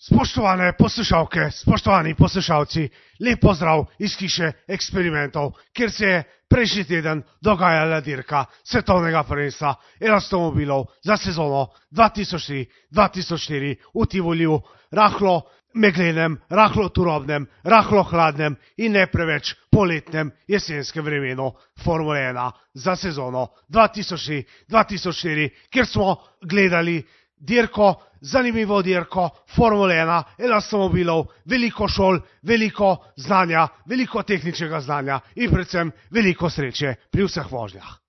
Spoštovane poslušalke, spoštovani poslušalci, lep pozdrav iz hiše eksperimentov, kjer se je prejšnji teden dogajala dirka svetovnega prvenstva elastomobilov za sezono 2003-2004 v Tivoliju, rahlo meglenem, rahlo turobnem, rahlo hladnem in ne preveč poletnem jesenskem vremenu Formule 1 za sezono 2003-2004, kjer smo gledali dirko, zanimivo dirko Formule 1, elastomobilov, veliko šol, veliko znanja, veliko tehničnega znanja in predvsem veliko sreče pri vseh vožnjah.